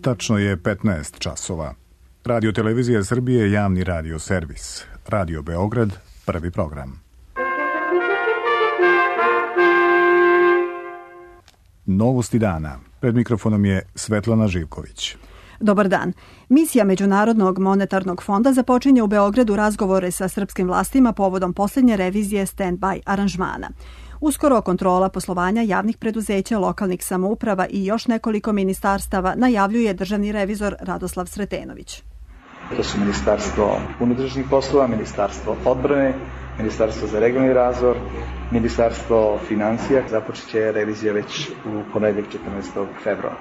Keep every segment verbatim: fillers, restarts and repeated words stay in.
Tačno je petnaest časova. Radio Televizija Srbije, javni radio servis. Radio Beograd, prvi program. Novosti dana. Pred mikrofonom je Svetlana Živković. Dobar dan. Misija Međunarodnog monetarnog fonda započinje u Beogradu razgovore sa srpskim vlastima povodom posljednje revizije stand-by aranžmana. Uskoro kontrola poslovanja javnih preduzeća, lokalnih samouprava i još nekoliko ministarstava najavljuje državni revizor Radoslav Sretenović. To su Ministarstvo unutrašnjih poslova, Ministarstvo odbrane, Ministarstvo za regionalni razvoj, Ministarstvo finansija. Započet će revizija već u ponedeljak četrnaestog februara.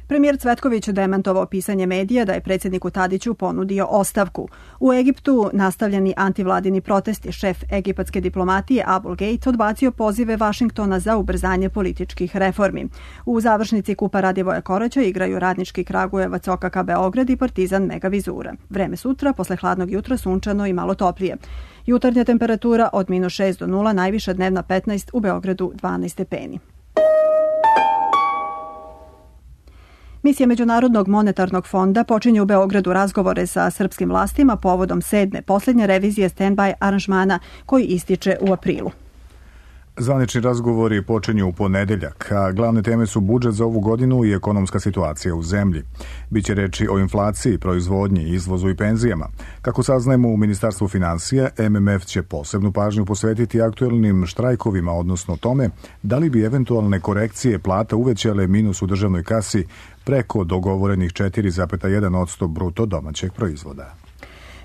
Premijer Cvetković demantovao pisanje medija da je predsjedniku Tadiću ponudio ostavku. U Egiptu nastavljeni antivladini protesti, šef egipatske diplomatije Abul Gejt odbacio pozive Vašingtona za ubrzanje političkih reformi. U završnici Kupa Radivoja Koraća igraju Radnički Kragujevac, O K K Beograd i Partizan Mega Vizura. Vreme sutra, posle hladnog jutra, sunčano i malo toplije. Jutarnja temperatura od minus šest do nula, najviša dnevna petnaest, u Beogradu dvanaest stepeni. Misija Međunarodnog monetarnog fonda počinje u Beogradu razgovore sa srpskim vlastima povodom sedme posljednje revizije stand-by aranžmana koji ističe u aprilu. Zvanični razgovori počinju u ponedeljak, a glavne teme su budžet za ovu godinu i ekonomska situacija u zemlji. Biće reči o inflaciji, proizvodnji, izvozu i penzijama. Kako saznajemo u Ministarstvu finansija, M M F će posebnu pažnju posvetiti aktuelnim štrajkovima, odnosno tome da li bi eventualne korekcije plata uvećale minus u državnoj kasi preko dogovorenih četiri zarez jedan posto bruto domaćeg proizvoda.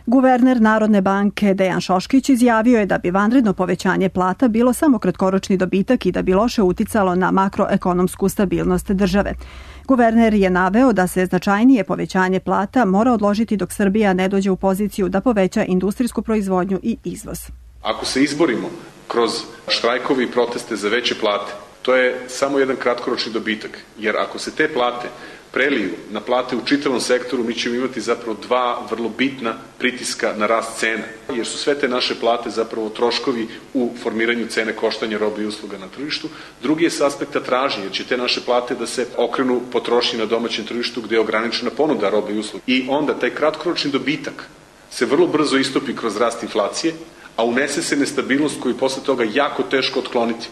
Guverner Narodne banke Dejan Šoškić izjavio je da bi vanredno povećanje plata bilo samo kratkoročni dobitak i da bi loše uticalo na makroekonomsku stabilnost države. Guverner je naveo da se značajnije povećanje plata mora odložiti dok Srbija ne dođe u poziciju da poveća industrijsku proizvodnju i izvoz. Ako se izborimo kroz štrajkovi i proteste za veće plate, to je samo jedan kratkoročni dobitak, jer ako se te plate preliju na plate u čitavom sektoru, mi ćemo imati zapravo dva vrlo bitna pritiska na rast cena, jer su sve te naše plate zapravo troškovi u formiranju cene koštanja robe i usluga na tržištu. Drugi je s aspekta tražnje, jer će te naše plate da se okrenu potrošnji na domaćem tržištu gde je ograničena ponuda robe i usluga. I onda taj kratkoročni dobitak se vrlo brzo istopi kroz rast inflacije, a unese se nestabilnost koju posle toga jako teško otkloniti.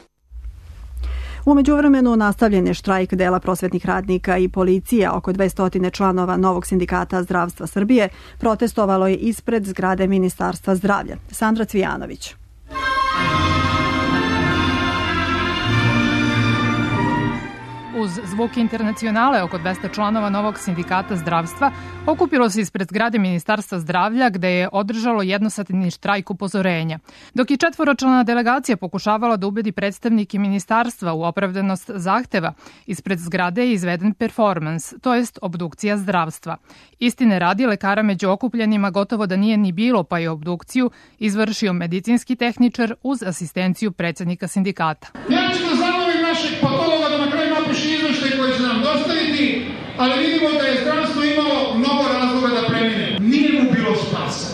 U međuvremenu nastavljen je štrajk dela prosvetnih radnika i policije. Oko dvesta članova novog sindikata zdravstva Srbije protestovalo je ispred zgrade Ministarstva zdravlja. Sandra Cvijanović. Uz zvuk internacionale oko dvesta članova novog sindikata zdravstva okupilo se ispred zgrade Ministarstva zdravlja gde je održalo jednosatni štrajk upozorenja. Dok je četvoročlana delegacija pokušavala da ubedi predstavnike ministarstva u opravdanost zahteva, ispred zgrade je izveden performans, to jest obdukcija zdravstva. Istine radi, lekara među okupljenima gotovo da nije ni bilo, pa je obdukciju izvršio medicinski tehničar uz asistenciju predsjednika sindikata. Ja ću da zamolim našeg patologa da na kraju napiše izveštaj koji će nam dostaviti, ali vidimo da je zdravstvo imalo mnogo razloga da premine. Nije mu bilo spasa,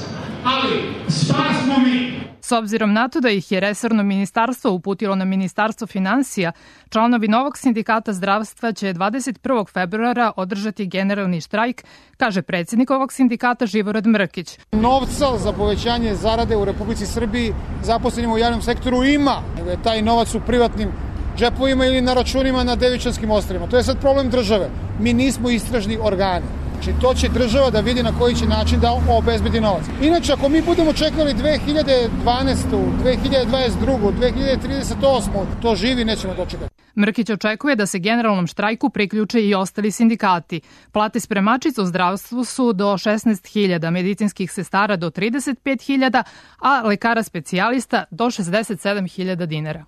ali spas smo mi. S obzirom na to da ih je resorno ministarstvo uputilo na Ministarstvo finansija, članovi novog sindikata zdravstva će dvadeset prvog februara održati generalni štrajk, kaže predsjednik ovog sindikata Živorad Mrkić. Novca za povećanje zarade u Republici Srbiji zaposlenima u javnom sektoru ima. Taj novac u privatnim džepovima ili na računima na Devičanskim ostrvima. To je sad problem države. Mi nismo istražni organi. Znači, to će država da vidi na koji će način da obezbedi novac. Inače, ako mi budemo čekali dve hiljade dvanaestu, dve hiljade dvadeset drugu, dve hiljade trideset osmu, to živi nećemo dočekati. Mrkić očekuje da se generalnom štrajku priključe i ostali sindikati. Plate spremačica u zdravstvu su do šesnaest hiljada, medicinskih sestara do trideset pet hiljada, a lekara specijalista do šezdeset sedam hiljada dinara.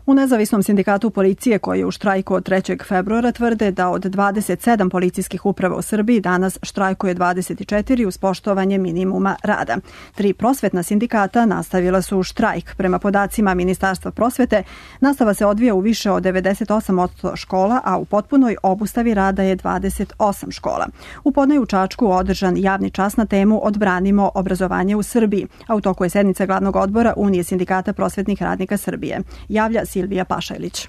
U nezavisnom sindikatu policije koji je u štrajku od trećeg februara tvrde da od dvadeset sedam policijskih uprava u Srbiji danas štrajkuje dvadeset četiri uz poštovanje minimuma rada. Tri prosvetna sindikata nastavila su štrajk. Prema podacima Ministarstva prosvete, nastava se odvija u više od devedeset osam posto škola, a u potpunoj obustavi rada je dvadeset osam škola. U podne u Čačku održan javni čas na temu Odbranimo obrazovanje u Srbiji, a u toku je sednica glavnog odbora Unije sindikata prosvetnih radnika Srbije. Javlja Silvija Pašajlić.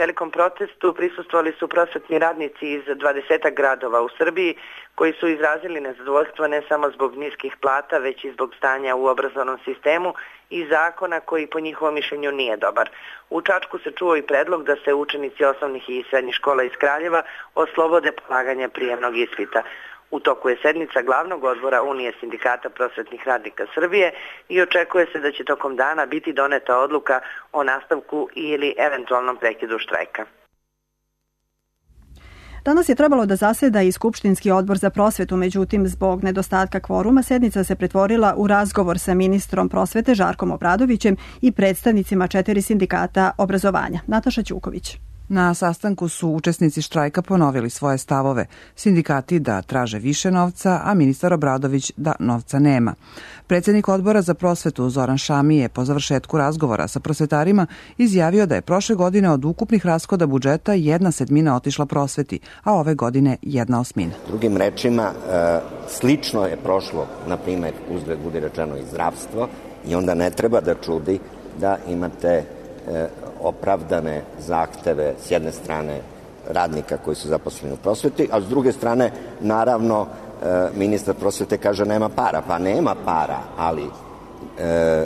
Velikom protestu prisustvovali su prosvetni radnici iz dvadesetak gradova u Srbiji koji su izrazili nezadovoljstvo ne samo zbog niskih plata, već i zbog stanja u obrazovnom sistemu i zakona koji po njihovom mišljenju nije dobar. U Čačku se čuo i predlog da se učenici osnovnih i srednjih škola iz Kraljeva oslobode polaganja prijemnog ispita. U toku je sednica glavnog odbora Unije sindikata prosvetnih radnika Srbije i očekuje se da će tokom dana biti doneta odluka o nastavku ili eventualnom prekidu štrajka. Danas je trebalo da zaseda i Skupštinski odbor za prosvetu, međutim, zbog nedostatka kvoruma, sednica se pretvorila u razgovor sa ministrom prosvete Žarkom Obradovićem i predstavnicima četiri sindikata obrazovanja. Nataša Ćuković. Na sastanku su učesnici štrajka ponovili svoje stavove. Sindikati da traže više novca, a ministar Obradović da novca nema. Predsjednik odbora za prosvetu Zoran Šami je po završetku razgovora sa prosvetarima izjavio da je prošle godine od ukupnih rashoda budžeta jedna sedmina otišla prosveti, a ove godine jedna osmina. Drugim rečima, slično je prošlo, na primjer, uzgled budi rečeno i zdravstvo, i onda ne treba da čudi da imate opravdane zahteve s jedne strane radnika koji su zaposleni u prosveti, a s druge strane, naravno, ministar prosvete kaže nema para. Pa nema para, ali e,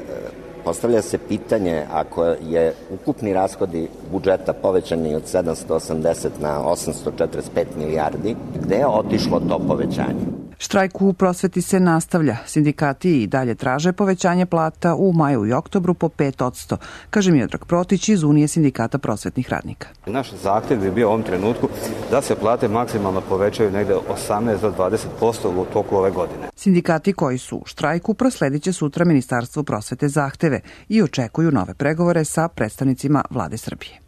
postavlja se pitanje, ako je ukupni rashodi budžeta povećani od sedamsto osamdeset na osamsto četrdeset pet milijardi, gde je otišlo to povećanje? Štrajk u prosveti se nastavlja. Sindikati i dalje traže povećanje plata u maju i oktobru po pet posto, kaže Miodrag Protić iz Unije sindikata prosvetnih radnika. Naš zahtjev bi bio u ovom trenutku da se plate maksimalno povećaju negde osamnaest do dvadeset posto u toku ove godine. Sindikati koji su u štrajku prosledit će sutra Ministarstvu prosvete zahteve i očekuju nove pregovore sa predstavnicima Vlade Srbije.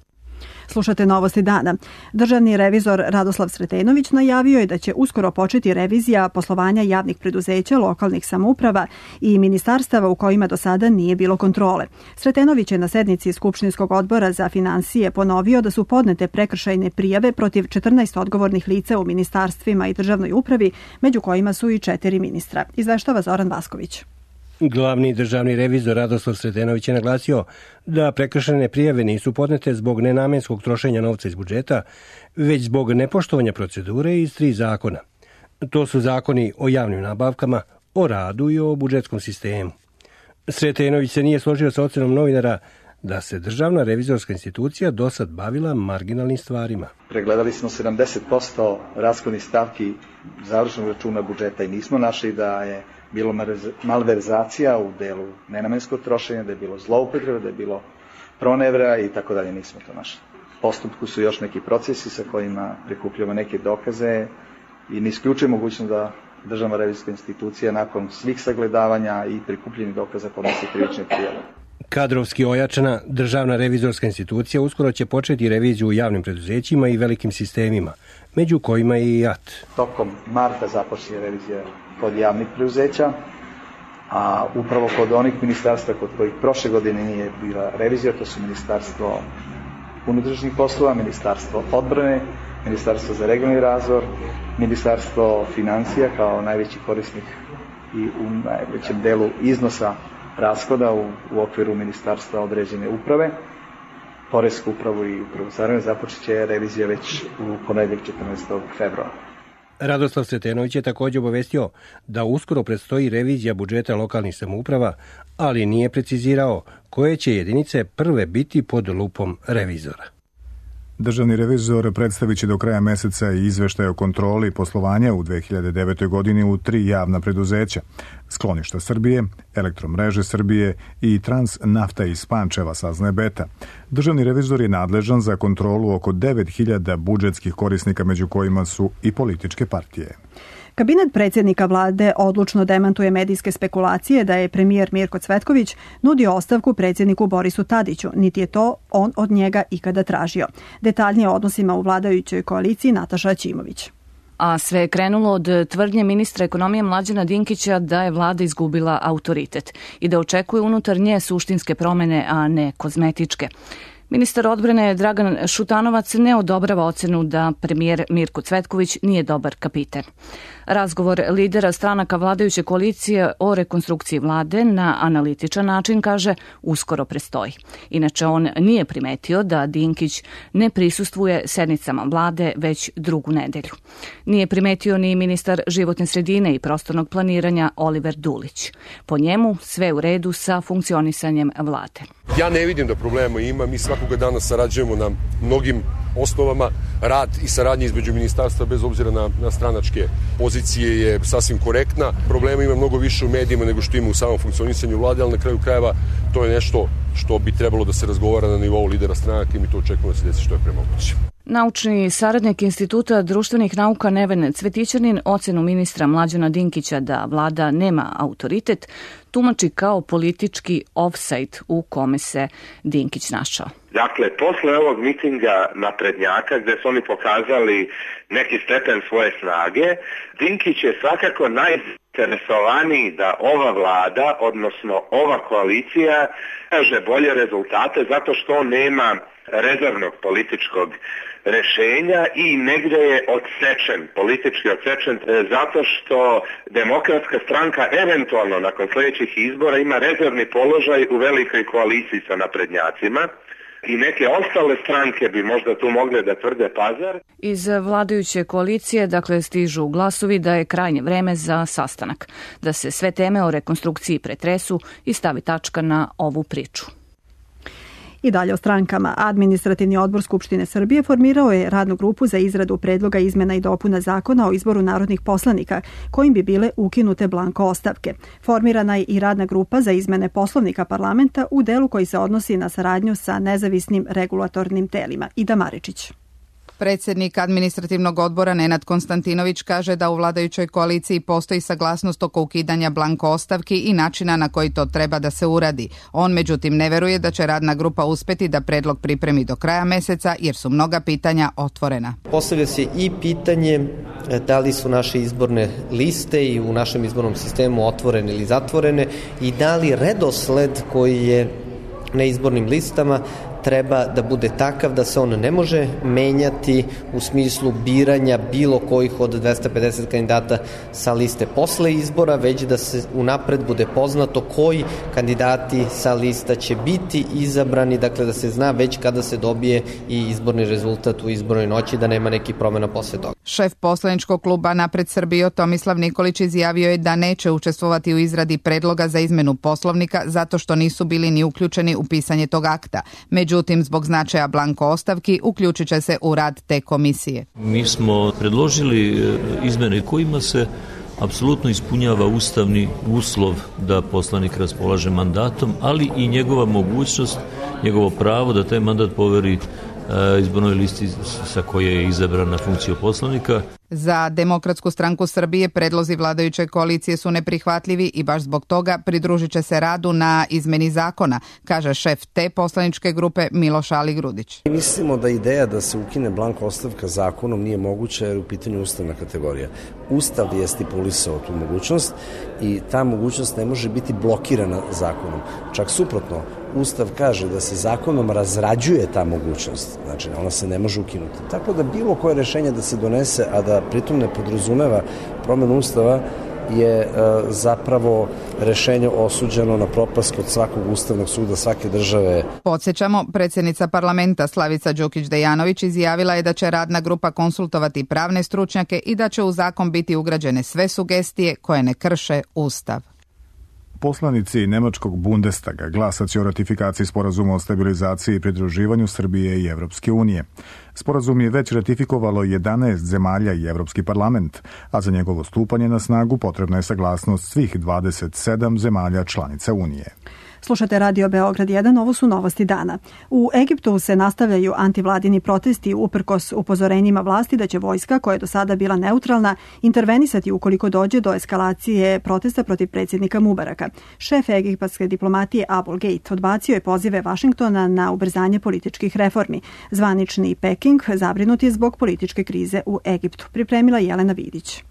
Slušate Novosti dana. Državni revizor Radoslav Sretenović najavio je da će uskoro početi revizija poslovanja javnih preduzeća, lokalnih samouprava i ministarstava u kojima do sada nije bilo kontrole. Sretenović je na sednici Skupštinskog odbora za finansije ponovio da su podnete prekršajne prijave protiv četrnaest odgovornih lica u ministarstvima i državnoj upravi, među kojima su i četiri ministra. Izveštava Zoran Vasković. Glavni državni revizor Radoslav Sretenović je naglasio da prekršajne prijave nisu podnete zbog nenamenskog trošenja novca iz budžeta, već zbog nepoštovanja procedure iz tri zakona. To su zakoni o javnim nabavkama, o radu i o budžetskom sistemu. Sretenović se nije složio sa ocenom novinara da se državna revizorska institucija do sad bavila marginalnim stvarima. Pregledali smo sedamdeset posto rashodnih stavki završenog računa budžeta i nismo našli da je bilo malverzacija u delu nenamenskog trošenja, da je bilo zloupotrebe, da je bilo pronevera i tako dalje, nismo to našli. U postupku su još neki procesi sa kojima prikupljamo neke dokaze i ne isključuje mogućnost da državna revizorska institucija nakon svih sagledavanja i prikupljenih dokaza podnosi krivične prijave. Kadrovski ojačana državna revizorska institucija uskoro će početi reviziju u javnim preduzećima i velikim sistemima, među kojima je i J A T. Tokom marta započne revizija kod javnih preduzeća, a upravo kod onih ministarstva kod kojih prošle godine nije bila revizija, to su Ministarstvo unutrašnjih poslova, Ministarstvo odbrane, Ministarstvo za regionalni razvoj, Ministarstvo financija kao najveći korisnik i u najvećem delu iznosa rashoda u, u okviru ministarstva određene uprave, Poresku upravu i upravu carine, započet će revizija već u ponedeljak četrnaestog februara. Radoslav Sretenović je također obavestio da uskoro predstoji revizija budžeta lokalnih samouprava, ali nije precizirao koje će jedinice prve biti pod lupom revizora. Državni revizor predstavit će do kraja meseca i izveštaj o kontroli poslovanja u dve hiljade devetoj. godini u tri javna preduzeća: Skloništa Srbije, Elektromreže Srbije i Transnafta iz Pančeva, saznaje Beta. Državni revizor je nadležan za kontrolu oko devet hiljada budžetskih korisnika, među kojima su i političke partije. Kabinet predsjednika vlade odlučno demantuje medijske spekulacije da je premijer Mirko Cvetković nudio ostavku predsjedniku Borisu Tadiću, niti je to on od njega ikada tražio. Detaljnije o odnosima u vladajućoj koaliciji Nataša Ćimović. A sve je krenulo od tvrdnje ministra ekonomije Mlađana Dinkića da je vlada izgubila autoritet i da očekuje unutar nje suštinske promjene, a ne kozmetičke. Ministar odbrane Dragan Šutanovac ne odobrava ocenu da premijer Mirko Cvetković nije dobar kapiten. Razgovor lidera stranaka vladajuće koalicije o rekonstrukciji vlade na analitičan način, kaže, uskoro prestoji. Inače, on nije primetio da Dinkić ne prisustvuje sednicama vlade već drugu nedelju. Nije primetio ni ministar životne sredine i prostornog planiranja Oliver Dulić. Po njemu sve u redu sa funkcionisanjem vlade. Ja ne vidim da problema ima, mi svakoga dana sarađujemo na mnogim osnovama. Rad i saradnja između ministarstva bez obzira na, na stranačke pozicije je sasvim korektna. Problema ima mnogo više u medijima nego što ima u samom funkcionisanju vlade, ali na kraju krajeva to je nešto što bi trebalo da se razgovara na nivou lidera stranaka i mi to očekujemo da se desi što je pre moguće. Naučni saradnik Instituta društvenih nauka Neven Cvetićanin ocenu ministra Mlađana Dinkića da vlada nema autoritet tumači kao politički ofsajd u kome se Dinkić našao. Dakle, posle ovog mitinga naprednjaka gde su oni pokazali neki stepen svoje snage, Dinkić je svakako najzainteresovaniji da ova vlada, odnosno ova koalicija, kaže bolje rezultate zato što on nema rezervnog političkog rešenja i negde je odsečen, politički odsečen, zato što Demokratska stranka eventualno nakon sljedećih izbora ima rezervni položaj u velikoj koaliciji sa naprednjacima i neke ostale stranke bi možda tu mogle da tvrde pazar. Iz vladajuće koalicije, dakle, stižu glasovi da je krajnje vreme za sastanak, da se sve teme o rekonstrukciji pretresu i stavi tačka na ovu priču. I dalje o strankama. Administrativni odbor Skupštine Srbije formirao je radnu grupu za izradu predloga izmena i dopuna zakona o izboru narodnih poslanika, kojim bi bile ukinute blanko ostavke. Formirana je i radna grupa za izmene Poslovnika parlamenta u delu koji se odnosi na saradnju sa nezavisnim regulatornim telima. Ida Maričić. Predsednik administrativnog odbora Nenad Konstantinović kaže da u vladajućoj koaliciji postoji saglasnost oko ukidanja blanko ostavki i načina na koji to treba da se uradi. On međutim ne veruje da će radna grupa uspeti da predlog pripremi do kraja meseca jer su mnoga pitanja otvorena. Postavlja se i pitanje da li su naše izborne liste i u našem izbornom sistemu otvorene ili zatvorene i da li redosled koji je na izbornim listama treba da bude takav da se on ne može menjati u smislu biranja bilo kojih od dvesta pedeset kandidata sa liste posle izbora, već da se unapred bude poznato koji kandidati sa lista će biti izabrani, dakle da se zna već kada se dobije i izborni rezultat u izbornoj noći, da nema nekih promjena posle toga. Šef poslaničkog kluba Napred Srbijo Tomislav Nikolić izjavio je da neće učestvovati u izradi predloga za izmenu Poslovnika zato što nisu bili ni uključeni u pisanje tog akta. Međutim, zbog značaja blanko ostavki uključit će se u rad te komisije. Mi smo predložili izmene kojima se apsolutno ispunjava ustavni uslov da poslanik raspolaže mandatom, ali i njegova mogućnost, njegovo pravo da taj mandat poveri izbornoj listi sa koje je izabran na funkciju poslanika. Za Demokratsku stranku Srbije predlozi vladajuće koalicije su neprihvatljivi i baš zbog toga pridružit će se radu na izmeni zakona, kaže šef te poslaničke grupe Miloš Aligrudić. Mislimo da ideja da se ukine blanko ostavka zakonom nije moguća jer u pitanju ustavna kategorija. Ustav je stipulisao tu mogućnost i ta mogućnost ne može biti blokirana zakonom. Čak suprotno, Ustav kaže da se zakonom razrađuje ta mogućnost, znači ona se ne može ukinuti. Tako da bilo koje rešenje da se donese, a da pritom ne podrazumeva promenu Ustava, je e, zapravo rešenje osuđeno na propast kod svakog ustavnog suda svake države. Podsjećamo, predsjednica parlamenta Slavica Đukić-Dejanović izjavila je da će radna grupa konsultovati pravne stručnjake i da će u zakon biti ugrađene sve sugestije koje ne krše Ustav. Poslanici Nemačkog Bundestaga glasat će o ratifikaciji sporazuma o stabilizaciji i pridruživanju Srbije i Evropske unije. Sporazum je već ratifikovalo jedanaest zemalja i Evropski parlament, a za njegovo stupanje na snagu potrebna je saglasnost svih dvadeset sedam zemalja članica Unije. Slušate Radio Beograd jedan, ovo su novosti dana. U Egiptu se nastavljaju antivladini protesti uprkos upozorenjima vlasti da će vojska, koja je do sada bila neutralna, intervenisati ukoliko dođe do eskalacije protesta protiv predsjednika Mubaraka. Šef egipatske diplomatije Abul Gate odbacio je pozive Vašingtona na ubrzanje političkih reformi. Zvanični Peking zabrinut je zbog političke krize u Egiptu. Pripremila Jelena Vidić.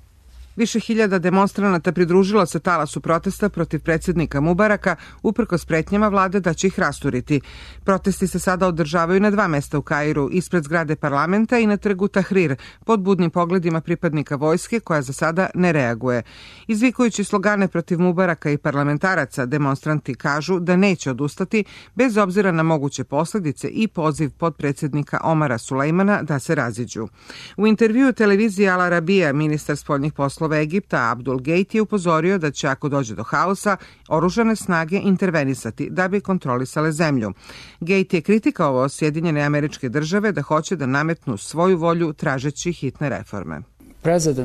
Više hiljada demonstranata pridružilo se talasu protesta protiv predsjednika Mubaraka uprkos pretnjama vlade da će ih rasturiti. Protesti se sada održavaju na dva mesta u Kairu, ispred zgrade parlamenta i na trgu Tahrir, pod budnim pogledima pripadnika vojske koja za sada ne reaguje. Izvikujući slogane protiv Mubaraka i parlamentaraca, demonstranti kažu da neće odustati bez obzira na moguće posljedice i poziv podpredsjednika Omara Sulejmana da se raziđu. U intervjuu televiziji Al Arabija ministar spoljnih poslova Egipta Abdul Gate je upozorio da će, ako dođe do haosa, oružane snage intervenisati da bi kontrolisale zemlju. Gate je kritikovao Sjedinjene Američke Države da hoće da nametnu svoju volju tražeći hitne reforme.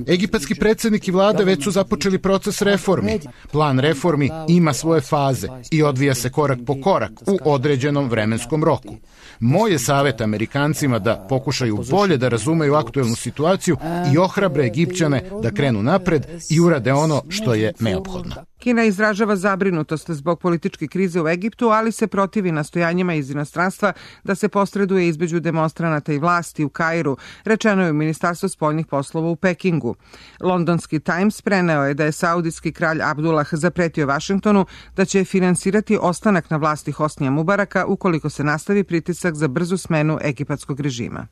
Egipatski predsjednik i vlada već su započeli proces reformi. Plan reformi ima svoje faze i odvija se korak po korak u određenom vremenskom roku. Moj je savjet Amerikancima da pokušaju bolje da razumeju aktuelnu situaciju i ohrabre Egipćane da krenu napred i urade ono što je neophodno. Kina izražava zabrinutost zbog političke krize u Egiptu, ali se protivi nastojanjima iz inostranstva da se posreduje između demonstranata i vlasti u Kairu, rečeno je u Ministarstvu spoljnih poslova u Pekingu. Londonski Times preneo je da je saudijski kralj Abdullah zapretio Vašingtonu da će finansirati ostanak na vlasti Hosnija Mubaraka ukoliko se nastavi pritisak za brzu smenu egipatskog režima.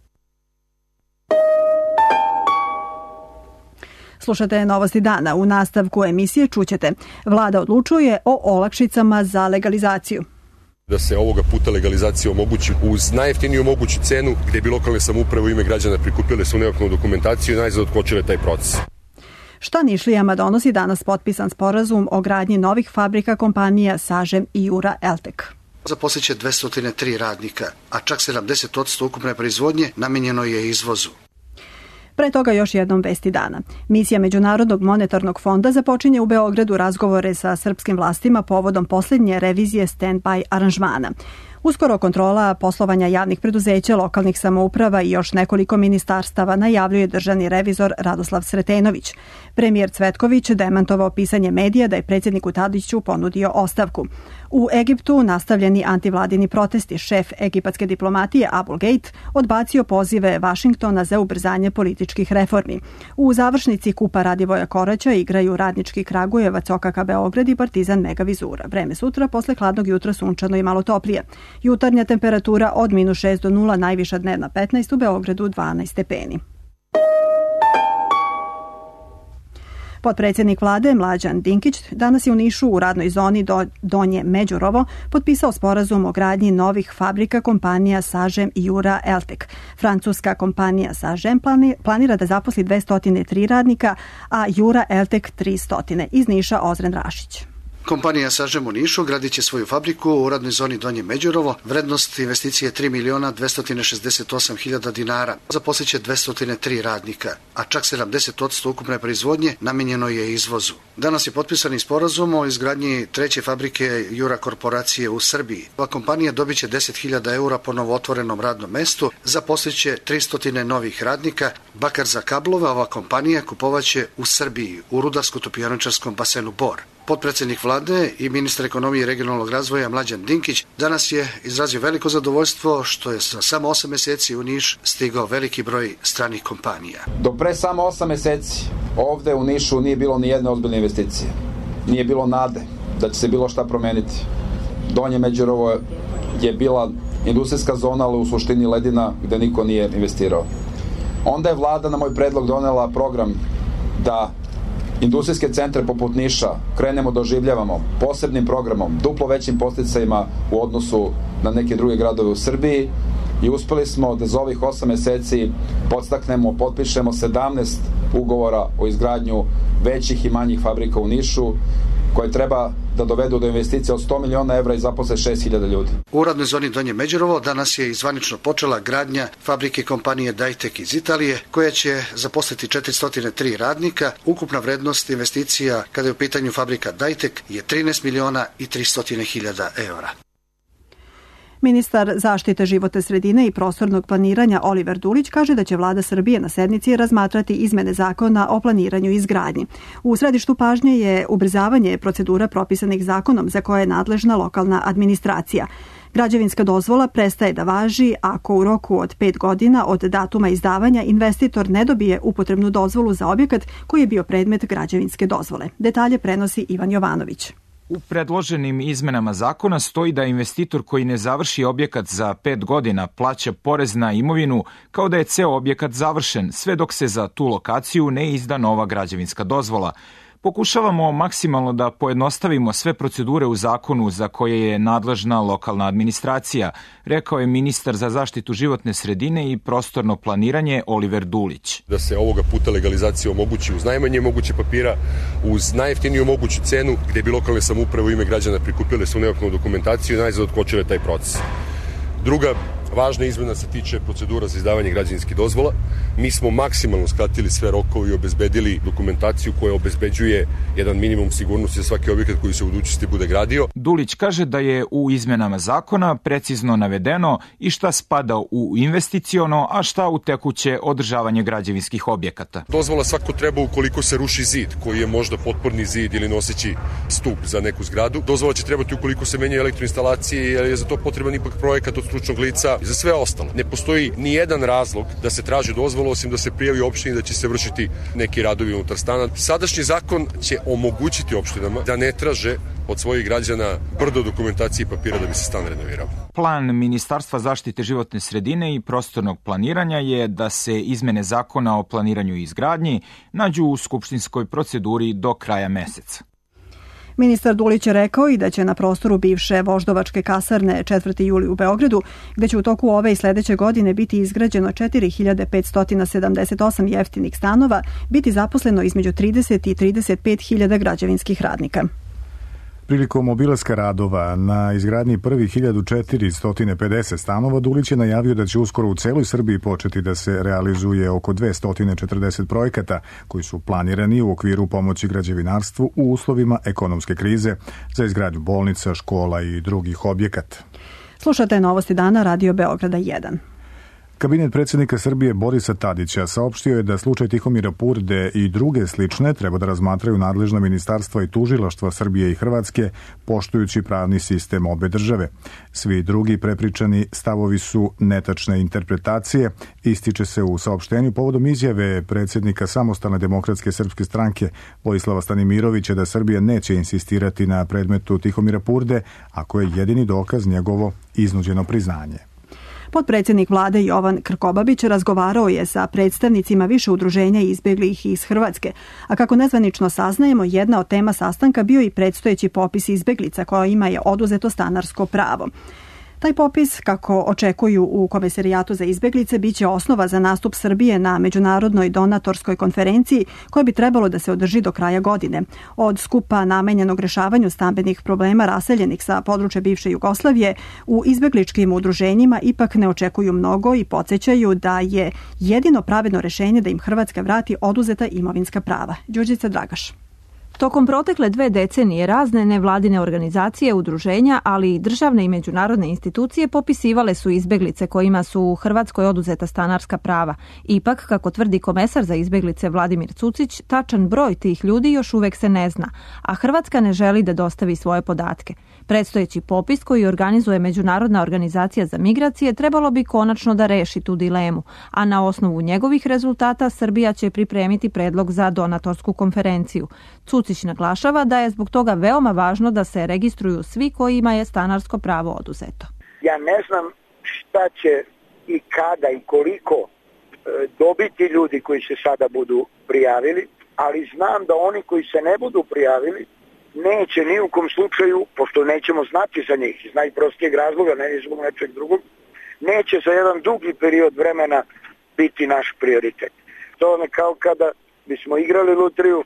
Slušate Novosti dana. U nastavku emisije čućete: Vlada odlučuje o olakšicama za legalizaciju. Da se ovoga puta legalizacija omogući uz najjeftiniju moguću cenu, gdje bi lokalne samouprave u ime građana prikupile svu neophodnu dokumentaciju i najzad otkočile taj proces. Šta Nišlijama donosi danas potpisan sporazum o gradnji novih fabrika kompanija Sažem i Jura Eltek? Zaposliće dvesta tri radnika, a čak sedamdeset posto ukupne proizvodnje namijenjeno je izvozu. Pre toga još jednom vesti dana. Misija Međunarodnog monetarnog fonda započinje u Beogradu razgovore sa srpskim vlastima povodom posljednje revizije stand-by aranžmana. Uskoro kontrola poslovanja javnih preduzeća, lokalnih samouprava i još nekoliko ministarstava, najavljuje državni revizor Radoslav Sretenović. Premijer Cvetković demantovao pisanje medija da je predsjedniku Tadiću ponudio ostavku. U Egiptu nastavljeni antivladini protesti, šef egipatske diplomatije Abul Gate odbacio pozive Vašingtona za ubrzanje političkih reformi. U završnici Kupa Radivoja Koraća igraju Radnički Kragujevac, O K K Beograd i Partizan Mega Vizura. Vreme sutra posle hladnog jutra sunčano i malo toplije. Jutarnja temperatura od minus šest do nula, najviša dnevna petnaest, u Beogradu dvanaest stepeni. Potpredsjednik vlade Mlađan Dinkić danas je u Nišu u radnoj zoni do Donje Međurovo potpisao sporazum o gradnji novih fabrika kompanija Sažem i Jura Eltek. Francuska kompanija Sažem planira da zaposli dvesta tri radnika, a Jura Eltek tristo. Iz Niša Ozren Rašić. Kompanija Sažem u Nišu gradit će svoju fabriku u radnoj zoni Donje Međurovo. Vrednost investicije tri miliona dvesta šezdeset osam hiljada dinara. Zaposliće dvesta tri radnika, a čak sedamdeset posto ukupne proizvodnje namijenjeno je izvozu. Danas je potpisan i sporazum o izgradnji treće fabrike Jura korporacije u Srbiji. Ova kompanija dobit će deset hiljada eura po novootvorenom radnom mestu, zaposliće tristo novih radnika. Bakar za kablove ova kompanija kupovaće u Srbiji, u Rudarsko-topioničarskom basenu Bor. Potpredsjednik vlade i ministar ekonomije i regionalnog razvoja Mlađan Dinkić danas je izrazio veliko zadovoljstvo što je za samo osam mjeseci u Niš stigao veliki broj stranih kompanija. Do pre samo osam mjeseci ovde u Nišu nije bilo ni jedne ozbiljne investicije. Nije bilo nade da će se bilo šta promeniti. Donje Međurovo je bila industrijska zona, ali u suštini ledina gde niko nije investirao. Onda je vlada na moj predlog donela program da industrijske centre poput Niša krenemo da oživljavamo posebnim programom, duplo većim podsticajima u odnosu na neke druge gradove u Srbiji i uspeli smo da za ovih osam mjeseci podstaknemo, potpišemo sedamnaest ugovora o izgradnju većih i manjih fabrika u Nišu koje treba da dovedu do investicija od sto miliona evra i zaposle šest hiljada ljudi. U radnoj zoni Donje Međurovo danas je izvanično počela gradnja fabrike kompanije Dajtek iz Italije, koja će zaposliti četiristo tri radnika. Ukupna vrednost investicija kada je u pitanju fabrika Dajtek je trinaest miliona i tristo hiljada evra. Ministar zaštite životne sredine i prostornog planiranja Oliver Dulić kaže da će vlada Srbije na sednici razmatrati izmene zakona o planiranju i izgradnji. U središtu pažnje je ubrzavanje procedura propisanih zakonom za koje je nadležna lokalna administracija. Građevinska dozvola prestaje da važi ako u roku od pet godina od datuma izdavanja investitor ne dobije upotrebnu dozvolu za objekat koji je bio predmet građevinske dozvole. Detalje prenosi Ivan Jovanović. U predloženim izmenama zakona stoji da investitor koji ne završi objekat za pet godina plaća porez na imovinu kao da je ceo objekat završen, sve dok se za tu lokaciju ne izda nova građevinska dozvola. Pokušavamo maksimalno da pojednostavimo sve procedure u zakonu za koje je nadležna lokalna administracija, rekao je ministar za zaštitu životne sredine i prostorno planiranje Oliver Dulić. Da se ovoga puta legalizacija omogući uz najmanje moguće papira, uz najjeftiniju moguću cenu, gde bi lokalne samouprave u ime građana prikupile svu neophodnu dokumentaciju i najzad otkočile taj proces. Druga važna izmena se tiče procedura za izdavanje građevinskih dozvola. Mi smo maksimalno skratili sve rokove i obezbedili dokumentaciju koja obezbeđuje jedan minimum sigurnosti za svaki objekat koji se u budućnosti bude gradio. Dulić kaže da je u izmenama zakona precizno navedeno i šta spada u investiciono, a šta u tekuće održavanje građevinskih objekata. Dozvola svako treba ukoliko se ruši zid, koji je možda potporni zid ili noseći stup za neku zgradu. Dozvola će trebati ukoliko se menjaju elektroinstalacije, jer je za to potreban ipak projekat od stručnog lica. Za sve ostalo. Ne postoji ni jedan razlog da se traži dozvola osim da se prijavi opštini da će se vršiti neki radovi unutar stana. Sadašnji zakon će omogućiti opštinama da ne traže od svojih građana brdo dokumentacije i papira da bi se stan renovirao. Plan Ministarstva zaštite životne sredine i prostornog planiranja je da se izmene zakona o planiranju i izgradnji nađu u skupštinskoj proceduri do kraja meseca. Ministar Dulić je rekao i da će na prostoru bivše voždovačke kasarne četvrti juli u Beogradu, gde će u toku ove i sledeće godine biti izgrađeno četiri hiljade petsto sedamdeset osam jeftinih stanova, biti zaposleno između trideset i trideset pet hiljada građevinskih radnika. Prilikom obilaska radova na izgradnji prvih hiljadu četiristo pedeset stanova, Dulić je najavio da će uskoro u celoj Srbiji početi da se realizuje oko dvesta četrdeset projekata koji su planirani u okviru pomoći građevinarstvu u uslovima ekonomske krize za izgradnju bolnica, škola i drugih objekata. Slušate Novosti dana Radio Beograda jedan. Kabinet predsjednika Srbije Borisa Tadića saopštio je da slučaj Tihomira Purde i druge slične treba da razmatraju nadležna ministarstva i tužilaštva Srbije i Hrvatske, poštujući pravni sistem obe države. Svi drugi prepričani stavovi su netačne interpretacije, ističe se u saopštenju povodom izjave predsjednika Samostalne demokratske srpske stranke Vojislava Stanimirovića da Srbija neće insistirati na predmetu Tihomira Purde, ako je jedini dokaz njegovo iznuđeno priznanje. Potpredsjednik vlade Jovan Krkobabić razgovarao je sa predstavnicima više udruženja izbeglih iz Hrvatske, a kako nezvanično saznajemo, jedna od tema sastanka bio i predstojeći popis izbeglica kojima je oduzeto stanarsko pravo. Taj popis, kako očekuju u Komesarijatu za izbeglice, biće osnova za nastup Srbije na međunarodnoj donatorskoj konferenciji koja bi trebalo da se održi do kraja godine. Od skupa namenjenog rešavanju stambenih problema raseljenih sa područja bivše Jugoslavije u izbegličkim udruženjima ipak ne očekuju mnogo i podsjećaju da je jedino pravedno rešenje da im Hrvatska vrati oduzeta imovinska prava. Đurđica Dragaš. Tokom protekle dve decenije razne nevladine organizacije, udruženja, ali i državne i međunarodne institucije popisivale su izbeglice kojima su u Hrvatskoj oduzeta stanarska prava. Ipak, kako tvrdi komesar za izbeglice Vladimir Cucić, tačan broj tih ljudi još uvek se ne zna, a Hrvatska ne želi da dostavi svoje podatke. Predstojeći popis koji organizuje Međunarodna organizacija za migracije trebalo bi konačno da reši tu dilemu, a na osnovu njegovih rezultata Srbija će pripremiti predlog za donatorsku konferenciju. Cucić naglašava da je zbog toga veoma važno da se registruju svi kojima je stanarsko pravo oduzeto. Ja ne znam šta će i kada i koliko dobiti ljudi koji se sada budu prijavili, ali znam da oni koji se ne budu prijavili neće ni u kom slučaju, pošto nećemo znati za njih iz najprostijeg razloga, ne zbog nečeg drugog, neće za jedan dugi period vremena biti naš prioritet. To je kao kada bismo igrali lutriju,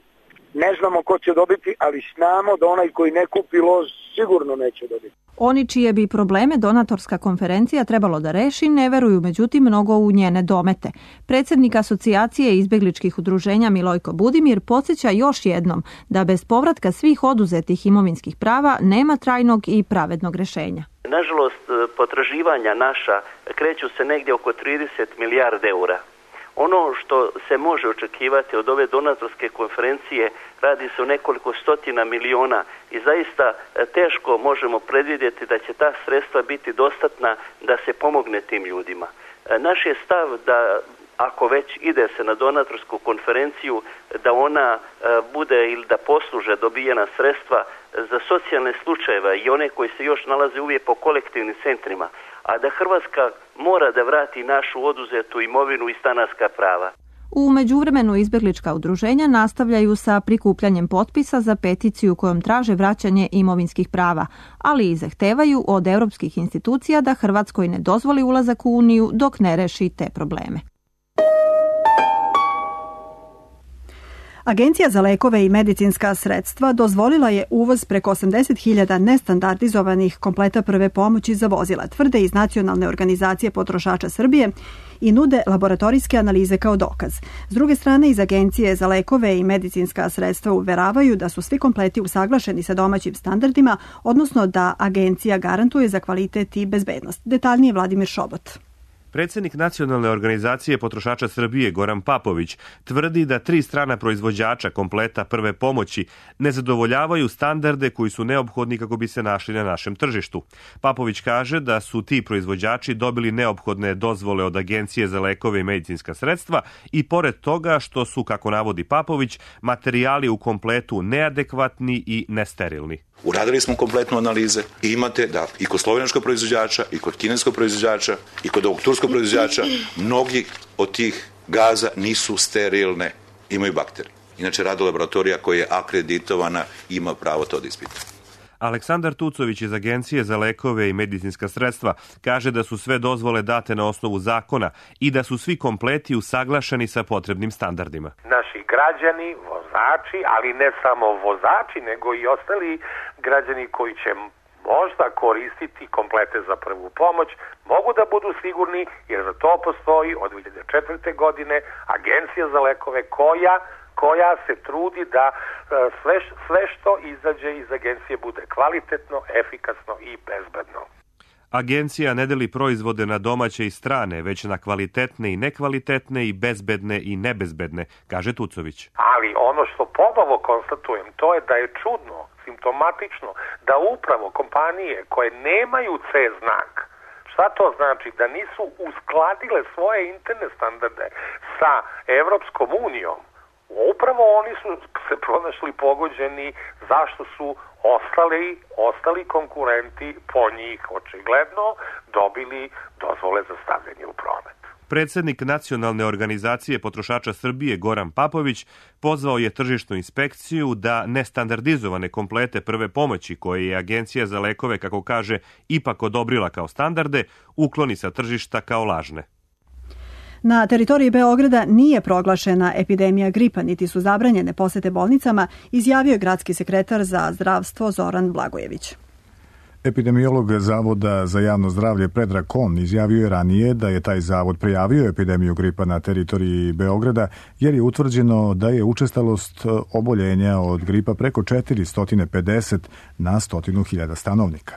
ne znamo ko će dobiti, ali znamo da onaj koji ne kupi loz sigurno neće dobiti. Oni čije bi probleme donatorska konferencija trebalo da reši ne veruju međutim mnogo u njene domete. Predsjednik Asocijacije izbegličkih udruženja Milojko Budimir podsjeća još jednom da bez povratka svih oduzetih imovinskih prava nema trajnog i pravednog rešenja. Nažalost, potraživanja naša kreću se negdje oko trideset milijardi eura. Ono što se može očekivati od ove donatorske konferencije, radi se o nekoliko stotina miliona i zaista teško možemo predvidjeti da će ta sredstva biti dostatna da se pomogne tim ljudima. Naš je stav da ako već ide se na donatorsku konferenciju, da ona bude ili da posluže dobijena sredstva za socijalne slučajeve i one koji se još nalaze uvijek po kolektivnim centrima, a da Hrvatska mora da vrati našu oduzetu imovinu i stanarska prava. U međuvremenu izbjeglička udruženja nastavljaju sa prikupljanjem potpisa za peticiju kojom traže vraćanje imovinskih prava, ali i zahtevaju od europskih institucija da Hrvatskoj ne dozvoli ulazak u Uniju dok ne reši te probleme. Agencija za lekove i medicinska sredstva dozvolila je uvoz preko osamdeset hiljada nestandardizovanih kompleta prve pomoći za vozila, tvrde iz Nacionalne organizacije potrošača Srbije i nude laboratorijske analize kao dokaz. S druge strane, iz Agencije za lekove i medicinska sredstva uveravaju da su svi kompleti usaglašeni sa domaćim standardima, odnosno da agencija garantuje za kvalitet i bezbednost. Detaljnije Vladimir Šobot. Predsjednik Nacionalne organizacije potrošača Srbije Goran Papović tvrdi da tri strana proizvođača kompleta prve pomoći ne zadovoljavaju standarde koji su neophodni kako bi se našli na našem tržištu. Papović kaže da su ti proizvođači dobili neophodne dozvole od Agencije za lekove i medicinska sredstva i pored toga što su, kako navodi Papović, materijali u kompletu neadekvatni i nesterilni. Uradili smo kompletnu analize i imate da i kod slovenačkog proizvođača, i kod kineskog proizvođača, i kod ovog turskog proizvođača, mnogi od tih gaza nisu sterilne, imaju bakterije. Inače, rado laboratorija koja je akreditovana ima pravo to da ispita. Aleksandar Tucović iz Agencije za lekove i medicinska sredstva kaže da su sve dozvole date na osnovu zakona i da su svi kompleti usaglašeni sa potrebnim standardima. Naši građani, vozači, ali ne samo vozači, nego i ostali građani koji će možda koristiti komplete za prvu pomoć, mogu da budu sigurni jer za to postoji od dve hiljade četvrte. godine Agencija za lekove koja koja se trudi da sve, sve što izađe iz agencije bude kvalitetno, efikasno i bezbedno. Agencija ne deli proizvode na domaće i strane, već na kvalitetne i nekvalitetne i bezbedne i nebezbedne, kaže Tucović. Ali ono što ponovo konstatujem, to je da je čudno, simptomatično, da upravo kompanije koje nemaju C znak, šta to znači? Da nisu uskladile svoje interne standarde sa Evropskom unijom, upravo oni su se pronašli pogođeni zašto su ostali, ostali konkurenti po njih očigledno dobili dozvole za stavljanje u promet. Predsjednik Nacionalne organizacije potrošača Srbije Goran Papović pozvao je tržišnu inspekciju da nestandardizovane komplete prve pomoći koje je Agencija za lekove, kako kaže, ipak odobrila kao standarde, ukloni sa tržišta kao lažne. Na teritoriji Beograda nije proglašena epidemija gripa, niti su zabranjene posete bolnicama, izjavio je gradski sekretar za zdravstvo Zoran Blagojević. Epidemiolog Zavoda za javno zdravlje Predrag Kon izjavio je ranije da je taj zavod prijavio epidemiju gripa na teritoriji Beograda jer je utvrđeno da je učestalost oboljenja od gripa preko četiristo pedeset na stotinu hiljada stanovnika.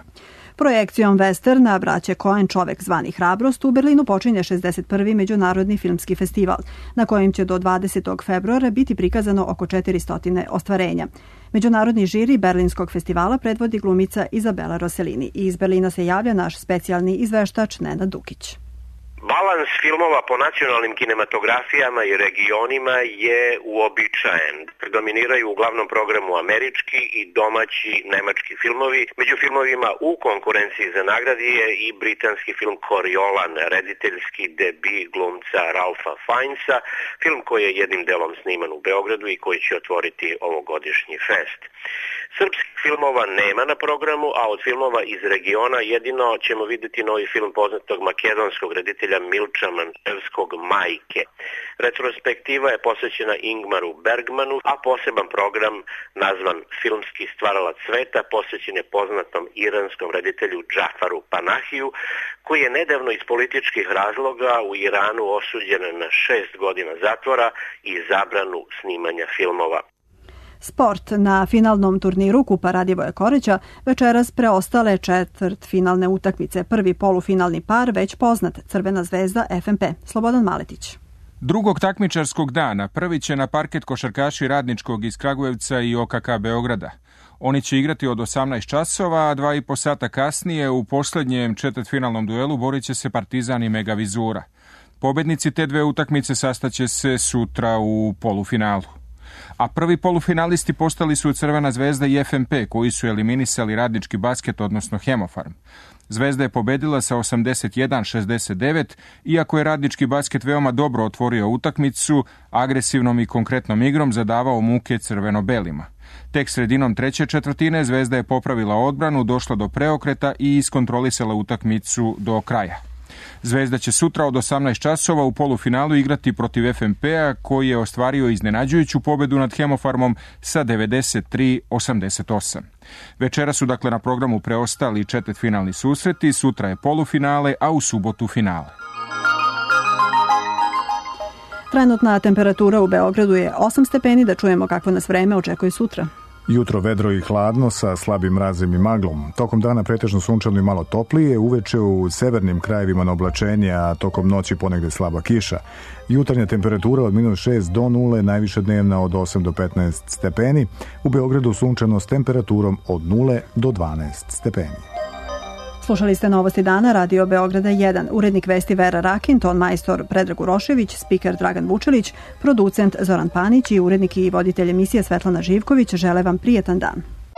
Projekcijom westerna braće Coen Čovek zvani Hrabrost u Berlinu počinje šezdeset prvi međunarodni filmski festival, na kojem će do dvadesetog februara biti prikazano oko četiristo ostvarenja. Međunarodni žiri Berlinskog festivala predvodi glumica Izabela Rossellini i iz Berlina se javlja naš specijalni izveštač Nenad Dukić. Balans filmova po nacionalnim kinematografijama i regionima je uobičajen. Predominiraju u glavnom programu američki i domaći nemački filmovi. Među filmovima u konkurenciji za nagradi je i britanski film Coriolan, rediteljski debi glumca Ralfa Fiennesa, film koji je jednim delom sniman u Beogradu i koji će otvoriti ovogodišnji fest. Srpskih filmova nema na programu, a od filmova iz regiona jedino ćemo vidjeti novi film poznatog makedonskog reditelja Milča Mančevskog Majke. Retrospektiva je posvećena Ingmaru Bergmanu, a poseban program nazvan Filmski stvaralac sveta posvećen je poznatom iranskom reditelju Džafaru Panahiju, koji je nedavno iz političkih razloga u Iranu osuđen na šest godina zatvora i zabranu snimanja filmova. Sport. Na finalnom turniru Kupa Radivoja Koreća večeras preostale četvrtfinalne utakmice. Prvi polufinalni par već poznat, Crvena zvezda F M P. Slobodan Maletić. Drugog takmičarskog dana prvi će na parket košarkaši Radničkog iz Kragujevca i O K K Beograda. Oni će igrati od osamnaest časova, a dva i po sata kasnije u posljednjem četvrtfinalnom duelu borit će se Partizan i Mega Vizura. Pobednici te dve utakmice sastaće se sutra u polufinalu. A prvi polufinalisti postali su Crvena Zvezda i F M P, koji su eliminisali Radnički basket, odnosno Hemofarm. Zvezda je pobedila sa osamdeset jedan šezdeset devet, iako je Radnički basket veoma dobro otvorio utakmicu, agresivnom i konkretnom igrom zadavao muke crveno-belima. Tek sredinom treće četvrtine Zvezda je popravila odbranu, došla do preokreta i iskontrolisala utakmicu do kraja. Zvezda će sutra od osamnaest časova u polufinalu igrati protiv F M P-a, koji je ostvario iznenađujuću pobedu nad Hemofarmom sa devedeset tri osamdeset osam. Večera su dakle na programu preostali četvrtfinalni susreti, sutra je polufinale, a u subotu finale. Trenutna temperatura u Beogradu je osam stepeni, da čujemo kakvo nas vreme očekuje sutra. Jutro vedro i hladno sa slabim mrazem i maglom. Tokom dana pretežno sunčano i malo toplije, uveče u severnim krajevima na oblačenje, a tokom noći ponegde slaba kiša. Jutarnja temperatura od minus šest do nule, najviša dnevna od osam do petnaest stepeni. U Beogradu sunčano s temperaturom od nule do dvanaest stepeni. Slušali ste Novosti dana, Radio Beograda jedan, urednik vesti Vera Rakin, ton majstor Predrag Urošević, spiker Dragan Vučelić, producent Zoran Panić i urednik i voditelj emisije Svetlana Živković žele vam prijetan dan.